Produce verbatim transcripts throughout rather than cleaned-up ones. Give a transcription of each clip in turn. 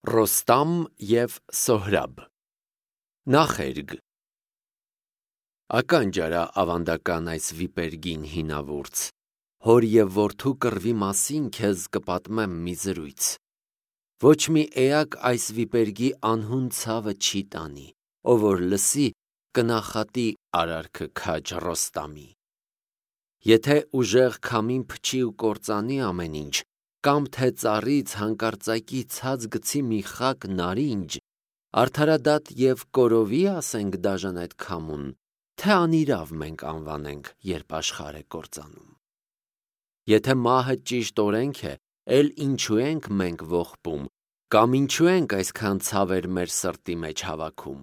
Ռոստամ և Սոհրաբ Նախերգ Ական ջարա ավանդական այս վիպերգին հինավուրց, հոր և որդու կռվի մասին քեզ կպատմեմ մի զրույց, ոչ մի էակ այս վիպերգի անհուն ցավը չի տանի, ով որ լսի կնախատի արարքը քաջ Ռոստամի, եթե ուժեղ քամին փչի ու կործանի ամեն ինչ, կամ թե ծառից հանկարծակի ցած գցի մի խակ նարինջ, արդարադատ և կորովի ասենք դաժան այդ քամուն, թե անիրավ մենք անվանենք, երբ աշխարհ է կործանում, եթե մահը ճիշտ օրենք է, էլ ինչու ենք մենք ողբում, կամ ինչու ենք այսքան ցավեր մեր սրտի մեջ հավաքում,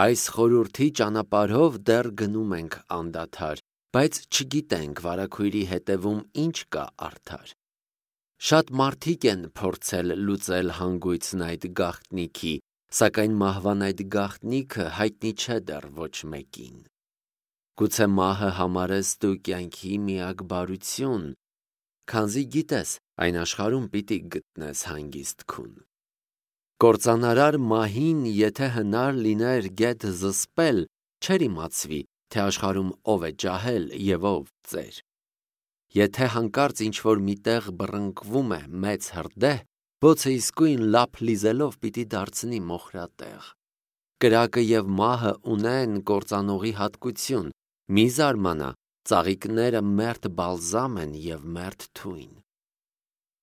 այս խորհրդի ճանապարհով դեռ գնում ենք անդադար, բայց չգիտենք վարագույրի հետևում ինչ կա արդար, շատ մարդիկ են փորձել լուծել հանգույցն այդ գաղտնիքի, սակայն մահվան այդ գաղտնիքը հայտնի չէ դեռ ոչ մեկին, գուցե մահը համարես դու կյանքի միակ բարություն, քանզի գիտես այն աշխարհում պիտի գտնես հանգիստ քուն, կործանարար մահին եթե հնար լիներ գեթ զսպել, չէր իմացվի, թե աշխարհում ով է ջահել և ով ծեր, եթե հանկարծ ինչ-որ միտեղ բռնկվում է մեծ հրդեհ, բոցը իսկույն լափ լիզելով պիտի դարձնի մոխրատեղ, կրակը և մահը ունեն կործանողի հատկություն, մի զարմանա, ծաղիկները մերթ բալզամ են և մերթ թույն,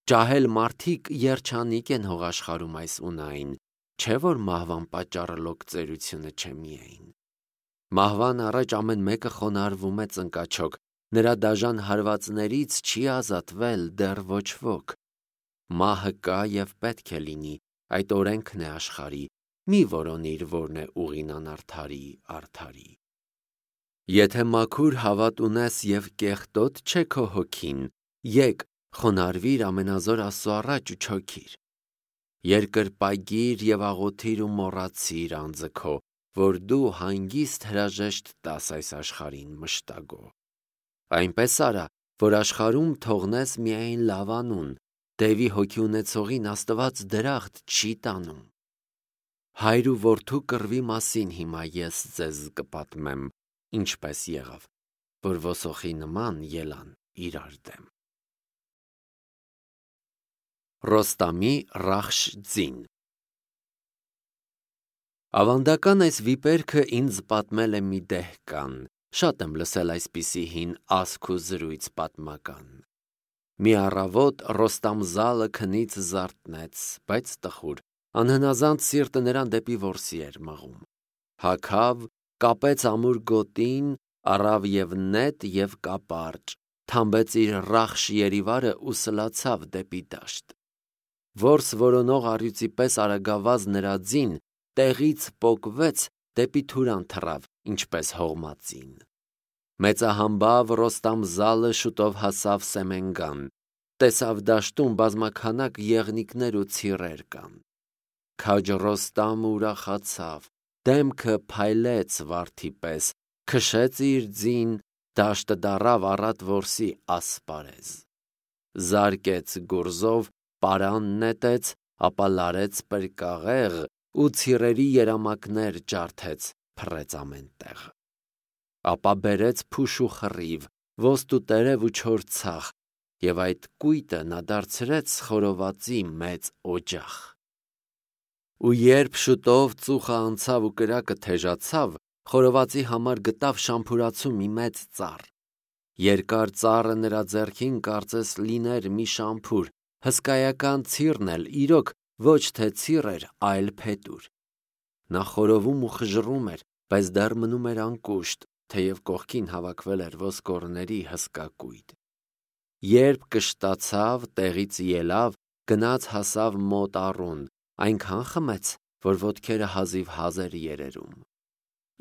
ջահել մարդիկ երջանիկ են հողաշխարհում այս ունային, չէ որ մահվան պատճառը լոկ ծերությունը չէ միայն, մահվան առաջ ամեն մեկը խոնարհվում է ծնկաչոք, նրա դաժան հարվածներից չի ազատվել դեռ ոչ ոք, մահը կա և պետք է լինի, այդ օրենքն է աշխարհի, մի որոնիր որն է ուղին անարդարի արդարի, եթե մաքուր հավատ ունես և կեղտոտ չէ քո հոգին, եկ խոնարհվիր ամենազոր Աստծու առաջ ու չոքիր, երկրպագիր և աղոթիր ու մոռացիր անձը քո, որ դու հանգիստ հրաժեշտ տաս այս աշխարհին մշտագո, այնպես արա, որ աշխարհում թողնես միայն լավ անուն, դևի հոգի ունեցողին Աստված դրախտ չի տանում, հայր ու որդու կռվի մասին հիմա ես ձեզ կպատմեմ, ինչպես եղավ, որ ոսոխի նման ելան իրար դեմ, Ռոստամի Ռախշ ձին Ավանդական այս վիպերքը ինձ պատմել է մի դեհկան, շատ եմ լսել այսպիսի հին ասք ու զրույց պատմական, մի առավոտ Ռոստամ Զալը քնից զարթնեց, բայց տխուր, անհնազանդ սիրտը նրան դեպի որսի էր մղում, հագավ, կապեց ամուր գոտին, առավ և նետ և կապարճ, թամբեց իր Ռախշ երիվարը ու սլացավ դեպի դաշտ, որս որոնող առյուծի պես արագավազ նրա ձին, տեղից պոկվեց, դեպի Թուրան թռավ, ինչպես հողմածին, մեծահամբավ Ռոստամ Զալը շուտով հասավ Սեմենգան, տեսավ դաշտում բազմաքանակ եղնիկներ ու ցիռեր կան, քաջ Ռոստամը ուրախացավ, դեմքը փայլեց վարդի պես, քշեց իր ձին, դաշտը դառավ առատ որսի ասպարեզ, զարկեց գուրզով, պարան նետեց, ապա լարեց պրկաղեղ ու ցիռերի երամակներ ջարդեց, փռեց ամեն տեղ, ապա բերեց փուշ ու խռիվ, ոստ ու տերև ու չոր ցախ, և այդ կույտը նա դարձրեց խորովածի մեծ օջախ, ու երբ շուտով ծուխը անցավ ու կրակը թեժացավ, խորովածի համար գտավ շամփուրացու մի մեծ ծառ, երկար ծառը նրա ձեռքին կարծես լիներ մի շամփուր, հսկայական ցիռն էլ իրոք ոչ թե ցիռ էր, այլ փետուր, նա խորովում ու խժռում էր, բայց դեռ մնում էր անկուշտ, թեև կողքին հավաքվել էր ոսկորների հսկա կույտ, երբ կշտացավ, տեղից ելավ, գնաց հասավ մոտ առուն, այնքան խմեց, որ ոտքերը հազիվ հազ էր երերում,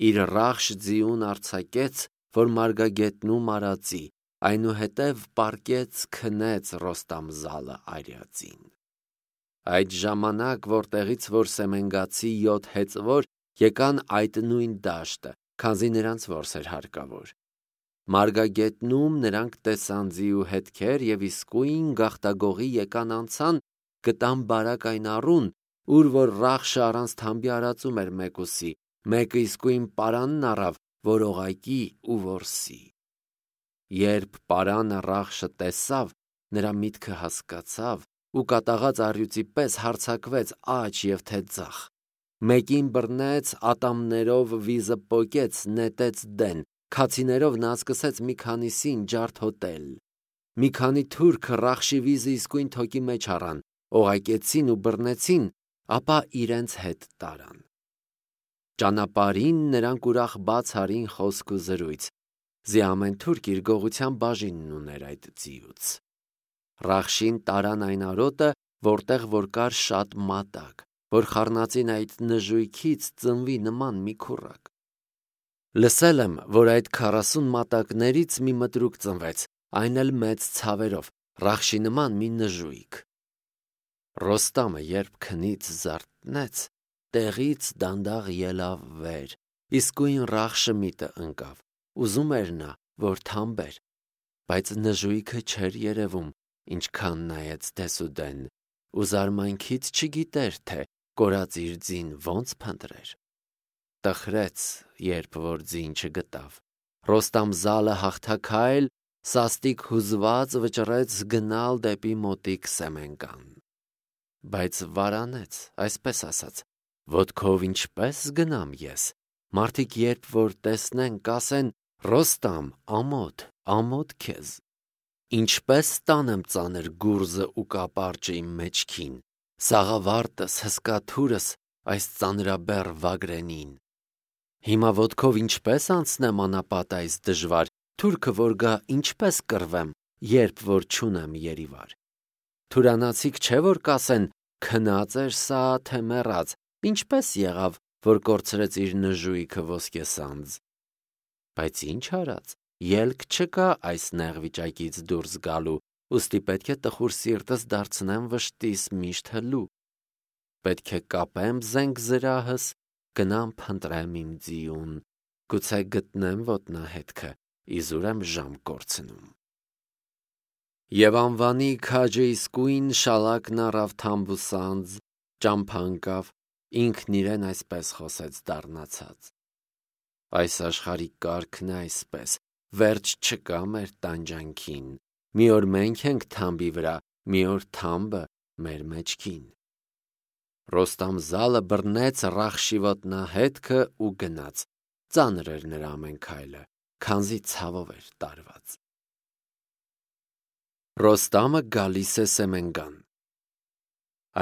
իր Ռախշ ձիուն արձակեց, որ մարգագետնում արածի, այնուհետև պառկեց քնեց Ռոստամ Զալը արյածին, այդ ժամանակ, որտեղից որ սեմենգացի յոթ հեծվոր եկան այդ նույն դաշտը, քանզի նրանց որս էր հարկավոր, մարգագետնում նրանք տեսան ձիու հետքեր և իսկույն գաղտագողի եկան անցան, գտան բարակ այն առուն, ուր որ Ռախշը առանց թամբի արածում էր մեկուսի, մեկը իսկույն պարանն առավ, որ օղակի ու որսի։ Երբ պարանը Ռախշը տեսավ, նրա միտքը հասկացավ ու կատաղած առյուծի պես հարձակվեց աջ և թե ձախ։ Մեկին բռնեց, ատամներով վիզը պոկեց, նետեց դեն, քացիներով նա սկսեց մի քանիսին ջարդոտել։ Մի քանի թուրք Ռախշի վիզը իսկույն թոկի մեջ առան, օղակեցին ու բռնեցին, ապա իրենց հետ տարան։ Ճանապարհին նրանք ուրախ բաց արին խոսք ու զրույց, զի ամեն թուրք իր գողության բաժինն ուներ այդ ձիուց։ Ռախշին տարան այն արոտը, որտեղ որ կար շատ մատակ, որ խառնածին այդ նժույգից ծնվի նման մի քուռակ։ Լսել եմ, որ այդ քառասուն մատակներից մի մտրուկ ծնվեց, այն էլ մեծ ցավերով, Ռախշի նման մի նժույգ։ Ռոստամը երբ քնից զարթնեց, տեղից դանդաղ ելավ վեր, իսկույն Ռախշը միտը ընկավ, ուզում էր նա, որ թամբեր, բայց նժույգը չէր երևում, ինչքան նայեց դեսուդեն, ու զարմանքից չգիտեր, թե կորած իր ձին ոնց փնտրեր։ Տխրեց, երբ որ ձին չգտավ։ Ռոստամ զալը հաղթաքայլ, սաստիկ հուզված վճռեց գնալ դեպի մոտիկ Սեմենգան։ Բայց վարանեց, այսպես ասած, ոտքով ինչպես գնամ ես։ Մարդիկ երբ որ տեսնեն, կասեն. Ռոստամ, ամոթ, ամոթ քեզ։ Ինչպես տանեմ ծանր գուրզը ու կապարճը իմ մեջքին, սաղավարտս, հսկաթուրս այս ծանրաբեռ Վագրենին։ Հիմա ոտքով ինչպես անցնեմ անապատ այս դժվար, թուրքը որ գա ինչպես կռվեմ, երբ որ չունեմ երիվար։ Թուրանացիք չէ որ կասեն, քնած էր սա, թե մեռած, ինչպես եղավ, որ կորցրեց իր նժույգը ոսկեսանձ։ Բայց ինչ արած, ելք չկա այս նեղ վիճակից դուրս գալու, ուստի պետք է տխուր սիրտս դարձնեմ վշտիս միշտ հլու։ Պետք է կապեմ զենք զրահս, գնամ փնտրեմ իմ ձիուն, գուցե գտնեմ ոտնահետքը, իզուր եմ ժամ կորցնում։ Եվ անվանի քաջը իսկույն շալակն առավ թամբուսանձ, ճամփա ընկավ, ինքն իրեն այսպես խոսեց դառնացած. Այս աշխարհի կարգն է այսպես, վերջ չկա մեր տանջանքին, մի օր մենք ենք թամբի վրա, մի օր թամբը մեր մեջքին։ Ռոստամ զալը բռնեց Ռախշի ոտնահետքը ու գնաց, ծանր էր նրա ամեն քայլը, քանզի ցավով էր տարված։ Ռոստամը գալիս է Սեմենգան։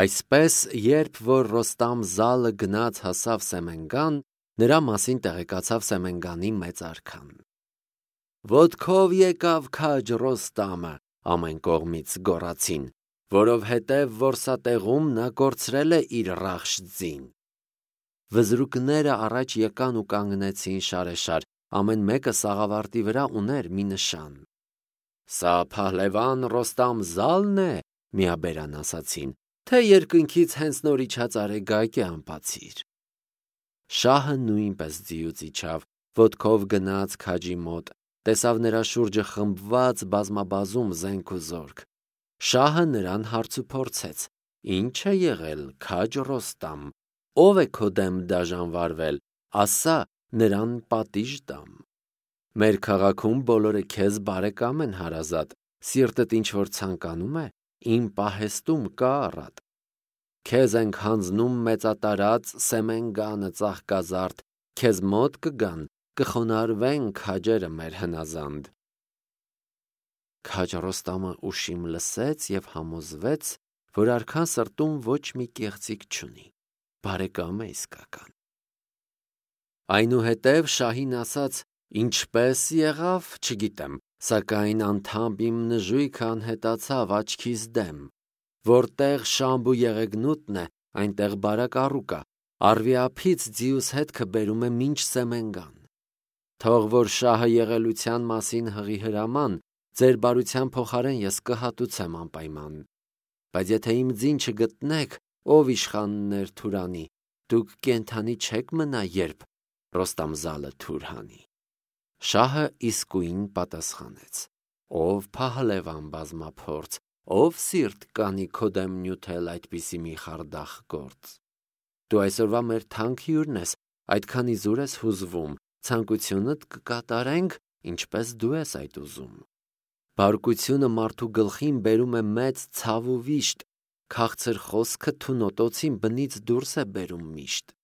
Այսպես, երբ որ Ռոստամ զալը գնաց հասավ Սեմենգան, նրա մասին տեղեկացավ Սեմենգանի մեծ արքան։ Ոտքով եկավ քաջ Ռոստամը, ամեն կողմից գոռացին, որովհետև որսատեղում նա կորցրել է իր Ռախշ ձին։ Վզրուկները առաջ եկան ու կանգնեցին շարեշար, ամեն մեկը սաղավարտի վրա ուներ մի նշան։ Սա Փահլևան Ռոստամ զալն է, միաբերան ասացին, թե երկնքից հենց նոր իջած արեգակ է անպացիր։ Շահը նույնպես ձիուց իջավ, ոտքով գնաց քաջի մոտ, տեսավ նրա շուրջը խմբված բազմաբազում զենք ու զորք։ Շահը նրան հարց ու փորձեց. Ինչ է եղել, քաջ Ռոստամ, ով է քո դեմ դաժանվարվել, ասա, նրան պատիժ տամ։ Մեր քաղաքում բոլորը քեզ բարեկամ են հարազատ, սիրտդ ինչ որ ցանկանում է, իմ պահեստում կա առատ։ Քեզ ենք հանձնում մեծատարած Սեմենգանը ծաղկազարդ, քեզ մոտ կգան, կխոնարհվեն քաջերը մեր հնազանդ։ Քաջ Ռոստամը ուշիմ լսեց և համոզվեց, որ արքան սրտում ոչ մի կեղծիք չունի, բարեկամ է իսկական։ Այնուհետև շահին ասաց. ինչպես եղավ, չգիտեմ, սակայն անդամբ իմ նժույգը անհետացավ աչքիս դեմ, որտեղ շամբ ու եղեգնուտն է, այնտեղ բարակ առուկա, առվի ափից ձիուս հետքը բերում է մինչ Սեմենգան։ Թող որ շահը եղելության մասին հղի հրաման, ձեր բարության փոխարեն ես կհատուցեմ անպայման։ Բայց եթե իմ ձին չգտնեք, ով իշխաններ Թուրանի, դուք կենդանի չեք մնա, երբ Ռոստամ զալը թուր հանի։ Շահը իսկույն պատասխանեց. ով Փահլևան բազմափորձ, Ով սիրտ կանի քո դեմ նյութել այդպիսի մի խարդախ գործ։ Դու այսօրվա մեր թանկ հյուրն ես, այդքանի զուր ես հուզվում, ցանկությունդ կկատարենք, ինչպես դու ես այդ ուզում։ Բարկությունը մարդու գլխին բերում է մեծ ցավ ու վիշտ, քաղցր խոսքը թունոտոցին բնից դուրս է բերում միշտ։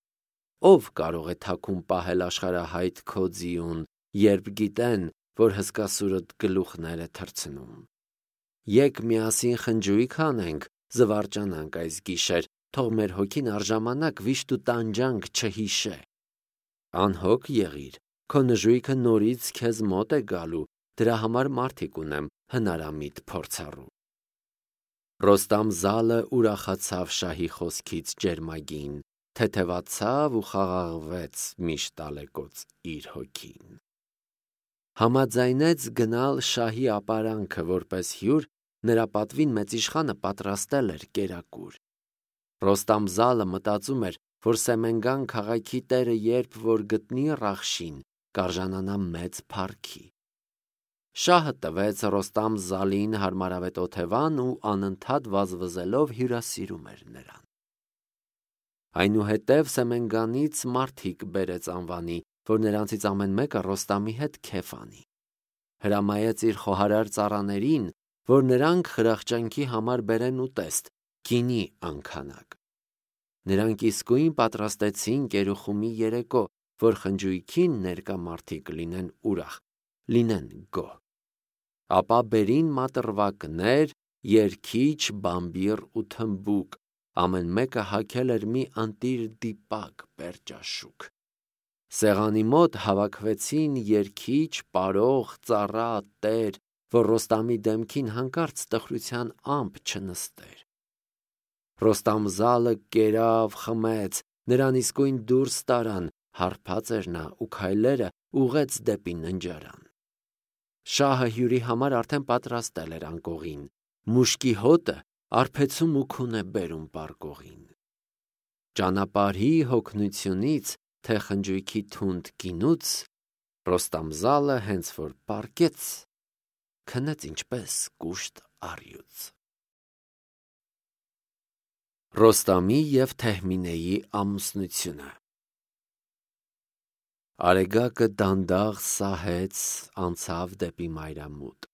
Ով կարող է թաքուն պահել աշխարհահայտ քո ձիուն, երբ գիտեն, որ հսկասուրդ գլուխներ է թռցնում։ Եկ միասին խնջույք անենք, զվարճանանք այս գիշեր, թող մեր հոգին առժամանակ վիշտ ու տանջանք չհիշե։ Անհոգ եղիր, քո նժույգը նորից քեզ մոտ է գալու, դրա համար մարդիկ ունեմ հնարամիտ փորձառու։ Ռոստամ Զալը ուրախացավ շահի խոսքից ջերմագին, թեթևացավ ու խաղաղվեց միշտ ալեկոծ իր հոգին։ Համաձայնեց գնալ շահի ապարանքը, որպես հյուր, նրա պատվին մեծիշխանը պատրաստել էր կերակուր։ Ռոստամ Զալը մտածում էր, որ Սեմենգան քաղաքի տերը երբ որ գտնի Ռախշին, կարժանանա մեծ փառքի։ Շահը տվեց Ռոստամ Զալին հարմարավետ օթևան ու անընդհատ վազվզելով հյուրասիրում էր նրան։ Այնուհետև Սեմենգանից մարդիկ բերեց անվանի, որ նրանցից ամեն մեկը Ռոստամի հետ քեֆ անի։ Հրամայեց իր խոհարար ծառաներին, որ նրանք խրախճանքի համար բերեն ուտեստ, գինի անքանակ։ Նրանք իսկույն պատրաստեցին կերուխումի երեկո, որ խնջույքին ներկա մարդիկ լինեն ուրախ, լինեն գոհ։ Ապա բերին մատրվակներ, երգիչ, բամբիռ ու թմբուկ, ամեն մեկը հագել էր մի ընտիր դիպակ պերճաշուք։ Սեղանի մոտ հավաքվեցին երգիչ, պարող, ծառա, տեր, որ Ռոստամի դեմքին հանկարծ տխրության ամպ չնստեր։ Ռոստամ Զալը կերավ, խմեց, նրան իսկույն դուրս տարան, հարբած էր նա ու քայլերը ուղեց դեպի ննջարան։ Շահը հյուրի համար արդեն պատրաստել էր անկողին, մուշկի հոտը արբեցում ու քուն է բերում պարկողին։ Ճանապարհի հոգնությունից, թե խնջույքի թունդ գինուց, Ռոստամ Զալը հենց որ պառկեց, քնեց ինչպես կուշտ առյուծ։ Ռոստամի և Թեհմինեի ամուսնությունը։ Արեգակը դանդաղ սահեց, անցավ դեպի մայրամուտ։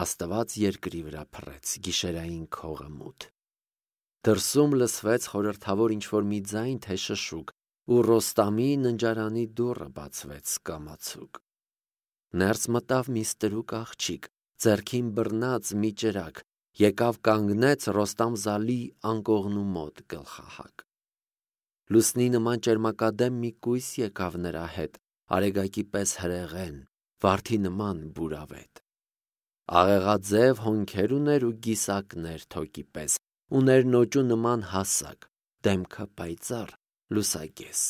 Աստված երկրի վրա փռեց, գիշերային քողը մութ։ Դրսում լսվեց խորհրդավոր ինչ-որ մի ձայն, թե շշուկ, ու Ռոստամի ննջարանի դուռը բացվեց կամացուկ։ Ներս մտավ մի ստրուկ աղջիկ, ձեռքին բռնած մի ճրագ, եկավ կանգնեց Ռոստամ Զալի անկողնու մոտ գլխահակ։ Լուսնի նման ճերմակադեմ մի կույս եկավ նրա հետ, արեգակի պես հրեղեն, վարդի նման բուրավետ։ Աղեղաձև հոնքեր ուներ ու գիսակներ թոկի պես, ուներ նոճու նման հասակ, դեմքը պայծառ, լուսագես։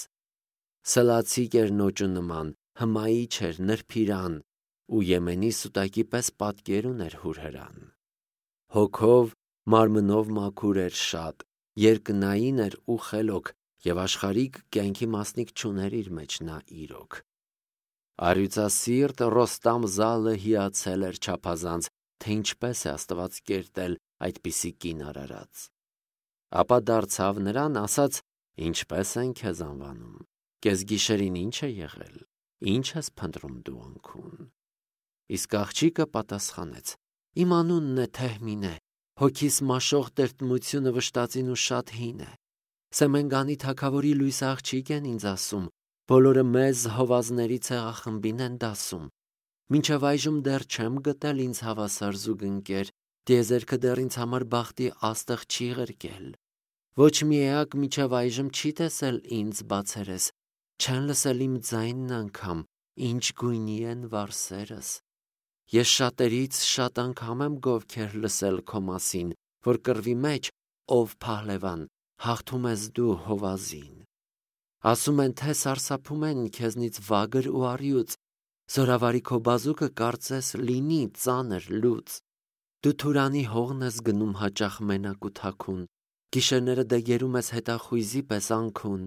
Սլացիկ էր նոճու նման, հմայիչ էր, նրբիրան, ու Եմենի սուտակի պես պատկեր ուներ հուրհրան։ Հոգով, մարմնով մաքուր էր շատ, երկնային էր ու խելոք, և աշխարհիկ կյանքի մասնիկ չուներ իր մեջ նա իրոք։ Առյուծասիրտ Ռոստամ Զալը հիացել էր չափազանց, թե ինչպես է Աստված կերտել այդպիսի կին արարած։ Ապա դարձավ նրան, ասաց. «Ինչպես են քեզ անվանում, կեսգիշերին ինչ է եղել, ինչ ես փնտրում դու անքուն»։ Իսկ աղջիկը պատասխանեց. «Իմ անունն է Թեհմինե, հոգիս մաշող տրտմությունը վշտածին ու շատ հին է։ Սեմենգանի թագավորի լույս աղջիկ են ինձ ասում, բոլորը մեզ հովազների ցեղախմբին են դասում։ Մինչև այժմ դեռ չեմ գտել ինձ հավասար զուգընկեր, տիեզերքը դեռ ինձ համար բախտի աստղ չի ղրկել։ Ոչ մի էակ մինչև այժմ չի տեսել ինձ բացերես, չեն լսել իմ ձայնն անգամ, ինչ գույնի են վարսերս։ Ես շատերից շատ անգամ եմ գովքեր լսել քո մասին, որ կռվի մեջ, ով փահլևան, հաղթում ես դու հովազին։ Ասում են, թե սարսափում են քեզնից վագր ու առյուծ, զորավարի քո բազուկը կարծես լինի ծանր լուծ։ Դու Թուրանի հողն ես գնում հաճախ մենակ ու թաքուն, գիշերները դեգերում ես հետախույզի պես անքուն,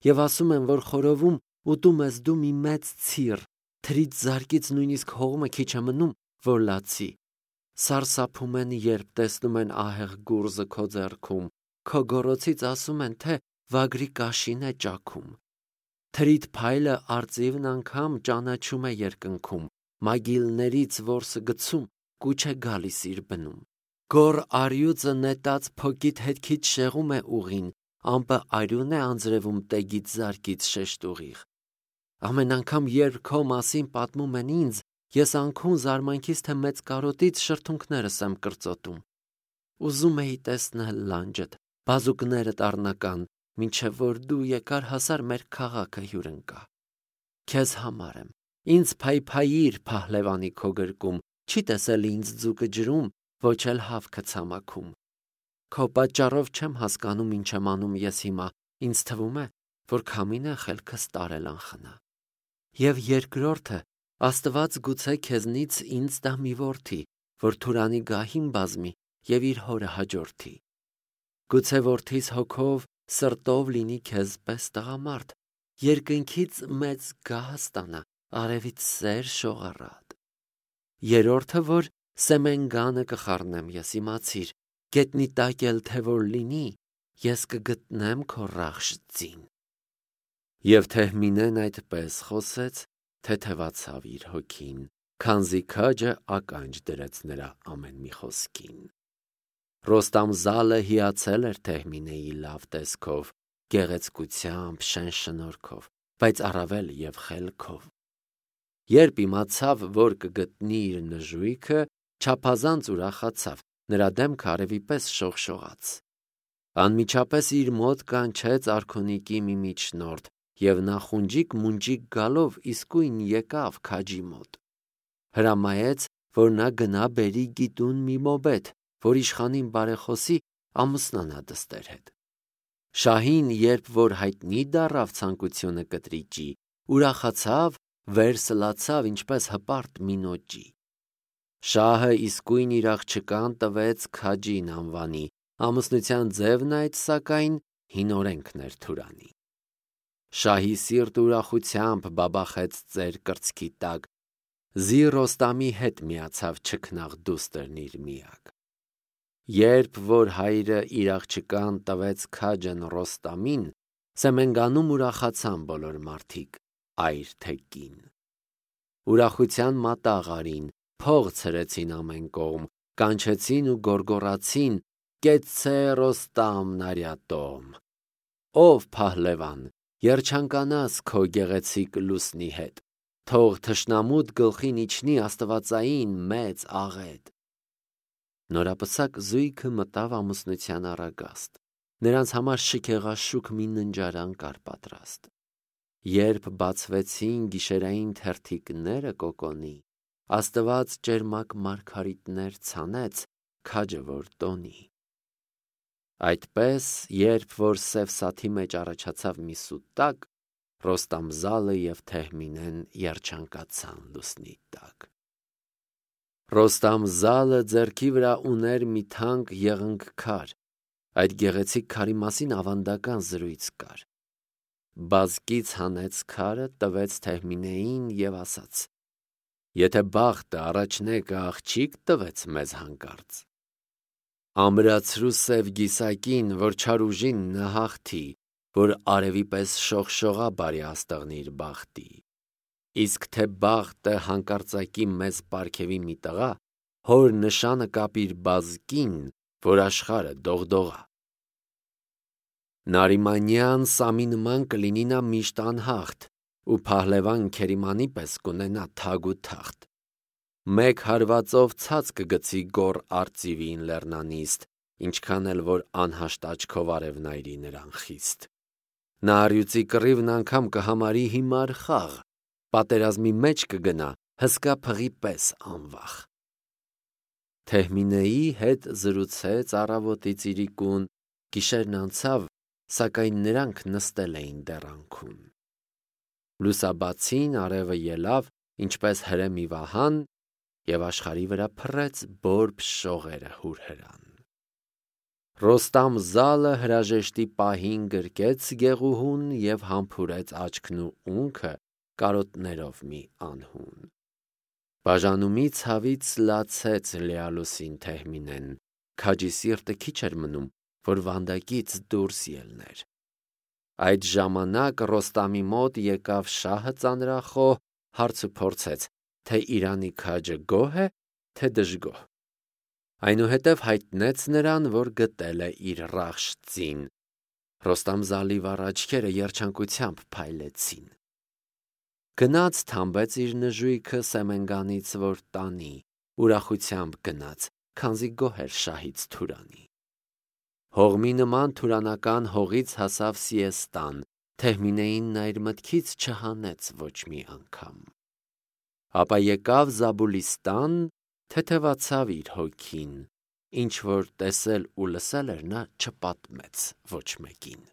և ասում են, որ խորովում ուտում ես դու մի մեծ ցիր, թրից զարկից նույնիսկ հողմը քիչ է մնում, որ լացի։ սարսափում են, երբ տեսնում են ահեղ գուրզը քո ձեռքում, քո գոռոցից ասում են, թե վագրի կաշին է ճաքում։ Թրիդ փայլը արծիվն անգամ ճանաչում է երկնքում, մագիլներից որսը գցում, կուչ է գալիս իր բնում։ Գոր արյուծը նետած փոքիդ հետքից շեղում է ուղին, ամպը արյուն է անձրևում տեգից զարկից շեշտ ուղիղ։ Ամեն անգամ, երբ քո մասին պատմում են ինձ, ես անքուն զարմանքից, թե մեծ կարոտից շրթունքներս եմ կրծոտում։ Ուզում էի տեսնել լանջդ, բազուկներդ առնական, մինչև որ դու եկար հասար մեր քաղաքը հյուրընկա։ Քեզ համար եմ, ինձ փայփայիր փահլևանի քո գրկում, չի տեսել ինձ ձուկը ջրում, ոչ էլ հավքը ցամաքում։ Քո պատճառով չեմ հասկանում ինչ եմ անում ես հիմա, ինձ թվում է, որ քամին է խելքս տարել անխնա։ Եվ երկրորդը, Աստված գուցե քեզնից ինձ տա մի որդի, որ Թուրանի գահին բազմի և իր հորը հաջորդի։ Գուցե որդիս հոգով, սրտով լինի քեզ պես տղամարդ, երկնքից մեծ գահ ստանա, արևից սեր շողառատ։ Երորդը, որ սեմենգանը կխառնեմ ես, իմացիր, գետնի տակ էլ թե որ լինի, ես կգտնեմ քո ռախշ ձին։ Եվ Թեհմինեն այդպես խոսեց, թեթևացավ իր հոգին, քանզի քաջը ականջ դրեց նրա ամեն մի խոսքին։ Ռոստամ զալը հիացել էր Թեհմինեի լավ տեսքով, գեղեցկությամբ, շեն շնորհքով, բայց առավել և խելքով։ Երբ իմացավ, որ կգտնի իր նժույգը, չափազանց ուրախացավ, նրա դեմքը արևի պես շողշողաց։ Անմիջապես իր մոտ կանչեց արքունիկի մի միջնորդ, և նախունջիկ-մունջիկ գալով իսկույն եկավ քաջի մոտ։ Հրամայեց, որ նա գնա բերի գիտուն մի մոբեթ, որ իշխանին բարեխոսի ամուսնանա դստեր հետ։ Շահին, երբ որ հայտնի դառավ ցանկությունը կտրիճի, ուրախացավ, վեր սլացավ ինչպես հպարտ մինոճի։ Շահը իսկույն իր աղջկան տվեց քաջին անվանի, ամուսնության ձևն այդ սակայն հին օրենքն էր Թուրանի։ Շահի սիրտ ուրախությամբ բաբախեց ծեր կրծքի տակ, զի Ռոստամի հետ միացավ չքնաղ դուստրն իր միակ։ Երբ որ հայրը իր աղջկան տվեց քաջն Ռոստամին, Սեմենգանում ուրախացան բոլոր մարդիկ, այր թե կին։ Ուրախության մատաղ արին, փող ցրեցին ամեն կողմ, կանչեցին ու գոռգոռացին. «Կեցցե Ռոստամն արյատոմ»։ Ով Փահլևան, երջանկանաս քո գեղեցիկ լուսնի հետ, թող թշնամուդ գլխին իջնի աստվածային մեծ աղետ։ Նորապսակ զույգը մտավ ամուսնության առագաստ, նրանց համար շքեղաշուք մի ննջարան կար պատրաստ։ Երբ բացվեցին գիշերային թերթիկները կոկոնի, Աստված ճերմակ մարգարիտներ ցանեց, քաջը որ տոնի։ Այդպես, երբ որ սև սաթի մեջ առաջացավ մի սուտակ, Ռոստամ զալը և Թեհմինեն երջանկացան լուսնի տակ։ Ռոստամ զալը ձեռքի վրա ուներ մի թանկ եղունգ քար, այդ գեղեցիկ քարի մասին ավանդական զրույց կար։ Բազկից հանեց քարը, տվեց Թեհմինեին և ասաց. «Եթե բախտը առաջնեկը աղջիկ տվեց մեզ հանկարծ, ամրացրու սև գիսակին, որ չար ուժին նհաղթի, որ արևի պես շողշողա բարի աստղն իր բախտի։ Իսկ թե բախտը հանկարծակի մեզ պարգևի մի տղա, հոր նշանը կապիր բազկին, որ աշխարհը դողդողա։ Նարիմանյան Սամի նման կլինի նա միշտ անհաղթ, ու Փահլևան Քերիմանի պես կունենա թագ ու թախտ։ Մեկ հարվածով ցած կգցի գոր արծիվին լեռնանիստ, ինչքան էլ որ անհաշտ աչքով արևնայրի նրան խիստ։ Նա առյուծի կռիվն անգամ կհամարի հիմար խաղ, պատերազմի մեջ կգնա հսկա փղի պես անվախ։ Թեհմինեի հետ զրուցեց առավոտից իրիկուն, գիշերն անցավ, սակայն նրանք նստել էին դեռ անքուն։ Լուսաբացին արևը ելավ, ինչպես հրե մի վահան, և աշխարհի վրա փռեց բորբ շողերը հուրհրան։ Ռոստամ զալը հրաժեշտի պահին գրկեց գեղուհուն և համբուրեց աչքն ու ունքը կարոտներով մի անհուն։ Բաժանումի ցավից լացեց Լեալոսին Թեհմինեն, քաջի սիրտը քիչ էր մնում, որ վանդակից դուրս ելներ։ Այդ ժամանակ Ռոստամի մոտ եկավ շահը ծանրախոհ, հարց ու փորձեց, թե իրանի քաջը գոհ է, թե դժգոհ։ Այնուհետև հայտնեց նրան, որ գտել է իր Ռախշծին։ Ռոստամ զալիվառ աչքերը երջանկությամբ փայլեցին։ Գնաց թամբեց իր նժույգը սեմենգանից, որ տանի, ուրախությամբ գնաց, քանզի գոհ էր շահից Թուրանի։ Հողմի նման թուրանական հողից հասավ Սիեստան, Թեհմինեին նա իր մտքից չհանեց ոչ մի անգամ։ Ապա եկավ Զաբուլիստան, թեթևացավ իր հոգին, ինչ որ տեսել ու լսել էր, նա չպատմեց ոչ մեկին։